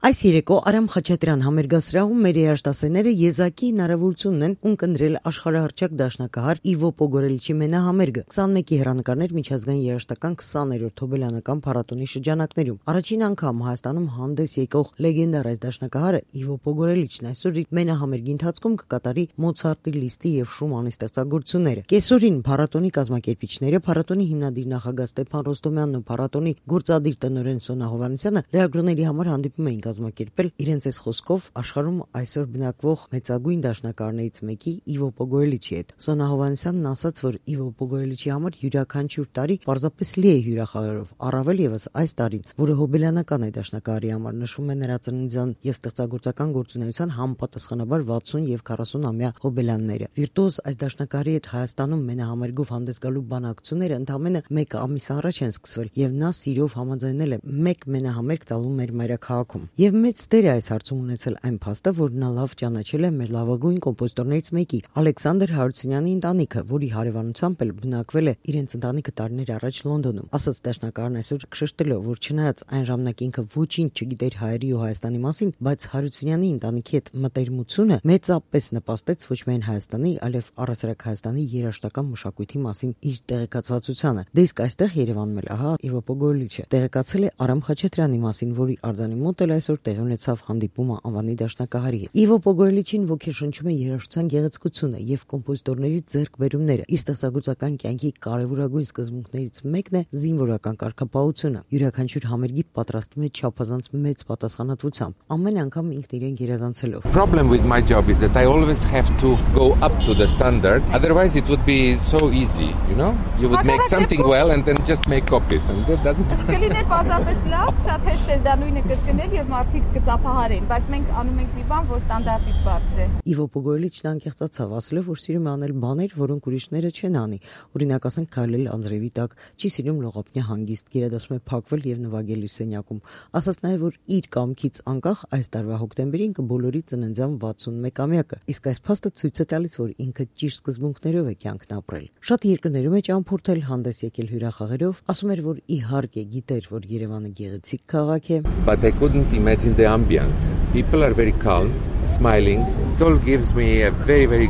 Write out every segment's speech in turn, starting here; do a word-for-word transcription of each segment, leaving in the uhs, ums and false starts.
Այս երեկո Արամ Խաչատրյան համերգասրահում մեր երաժշտասերները եզակի հնարավորություն ունեն ունկնդրել աշխարհահռչակ դաշնակահար Իվո Պոգորելիչի մենահամերգը քսանմեկի հեռանկարներ միջազգային երաժշտական քսաներորդ հոբելյանական փառատոնի շրջանակներում։ Առաջին անգամ Հայաստանում հանդես եկող լեգենդար այս դաշնակահարը Իվո Պոգորելիչն այսօր իր մենահամերգի ընթացքում կկատարի Մոցարտի, Լիստի եւ Շումանի ստեղծագործությունները։ Կեսօրին փառատոնի կազմակերպիչները, փառատոնի հիմնադիր նախագահ Ստեփան Ռոստոմյանն ու փառատոնի գործադիր տնօրեն Սոնա Հովհաննիսյանը լրագրողների համար հանդիպում էին կազմակերպել իրենց այս խոսքով աշխարհում այսօր բնակվող մեծագույն դաշնակահարներից մեկի Իվո Պոգորելիչի հետ։ Սոնա Հովհաննիսյանն ասաց, որ Իվո Պոգորելիչի համար յուրաքանչյուր տարի պարզապես լի է հյուրախաղերով, առավել եւս այս տարին, որը հոբելյանական է դաշնակահարի համար, նշվում է նրա ծննդյան եւ ստեղծագործական գործունեության համապատասխանաբար վաթսուն եւ քառասուն-ամյա հոբելյանները։ Վիրտուոզ այս դաշնակահարի հետ Հայաստանում մենահամերգով հանդես գալու բանակցությունները ընդամենը մեկ ամիս առաջ են սկսվել եւ նա սիրով համաձայնել է մեկ մենահամերգ տալու մեր մայրաքաղաքում։ Եվ մեծ դեր է այս հարցում ունեցել այն փաստը, որ նա լավ ճանաչել է մեր լավագույն կոմպոզիտորներից մեկի Ալեքսանդր Հարությունյանի ընտանիքը, որի հարևանությամբ էլ բնակվել է իրենց ընտանիքը տարիներ առաջ Լոնդոնում։ Ասաց դաշնակահարն այսօր շեշտելով, որ չնայած այն ժամանակ ինքը ոչինչ չգիտեր հայերի ու Հայաստանի մասին, բայց Հարությունյանի ընտանիքի հետ մտերմությունը մեծապես նպաստեց ոչ միայն Հայաստանի, այլև առհասարակ Հայաստանի երաժշտական մշակույթի մասին իր տեղեկացվածությանը։ Դե իսկ այստեղ Երևանում էլ ահա Իվո Պոգորելիչը տեղեկացել է Արամ Խաչատրյանի մասին, որի արձանի մոտ էլ այսօր տեղի ունեցավ հանդիպումը անվանի դաշնակահարի հետ։ Իվո Պոգորելիչին ոգեշնչում է երաժշտության գեղեցկությունը եւ կոմպոզիտորների ձեռքբերումները։ Իր ստեղծագործական կյանքի կարևորագույն սկզբունքներից մեկն է զինվորական կարգապահությունը։ Յուրաքանչյուր համերգի պատրաստվում է չափազանց մեծ պատասխանատվությամբ, ամեն անգամ ինքն իրեն գերազանցելով։ Problem with my job is that I always have to go up to the standard, otherwise it would be so easy, you know? You would make something well and then just make copies and that doesn't Կլիներ բազապես լավ, շատ հեշտ է դա նույնը կրկնել եւ մարդիկ կծափահարեն, բայց մենք անում ենք մի բան, որ ստանդարտից բարձր է։ Իվո Պոգորելիչն անկեղծացավ, ասելով, որ սիրում է անել բաներ, որոնք ուրիշները չեն անի։ Օրինակ, ասենք, քայլել անձրևի տակ, չի սիրում լողափնյա հանգիստ, գերադասում է փակվել եւ նվագել իր սենյակում։ Ասաց նաեւ, որ իր կամքից անկախ այս տարվա հոկտեմբերին կբոլորի ծննդյան վաթսունմեկամյակը։ Իսկ այս փաստը ցույց է տալիս, որ ինքը ճիշտ սկզբունքներով է կյանքն ապրել։ Շատ երկրներում է ճամփորդել, հանդես եկել հյուրախաղերով, ասում էր, որ իհարկե գիտեր, որ Երևանը գեղեցիկ քաղաք է։ But I couldn't imagine the ambience. People are very calm, smiling. It all gives me a very, very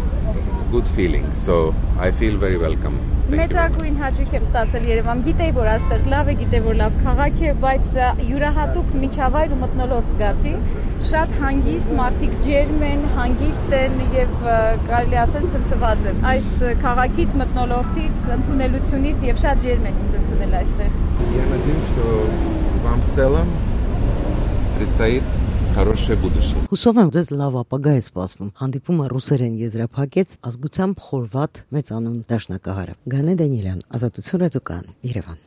good feeling. So I feel very welcome. Մեծագույն հաճույք եմ ստացել Երևան։ Գիտեի, որ այստեղ լավ է, գիտեի, որ լավ քաղաք է, բայց յուրահատուկ միջավայր ու մթնոլորտ զգացի։ Շատ հանգիստ, մարդիկ ջերմ են, հանգիստ են եւ կարելի ասել ցնցված են։ Այս քաղաքից, մթնոլորտից, ընդունելությունից եւ շատ ջերմ են ինձ ընդունել այստեղ։ Я надеюсь, что вам в целом предстоит хорошее будущее. Հուսով եմ, ձեզ լավ ապագա է սպասվում։ Հանդիպումը ռուսերեն եզրափակեց ազգությամբ խորվաթ մեծանուն դաշնակահարը։ Գանե Դանիելյան, Ազատություն ռադիոկայան, Երևան։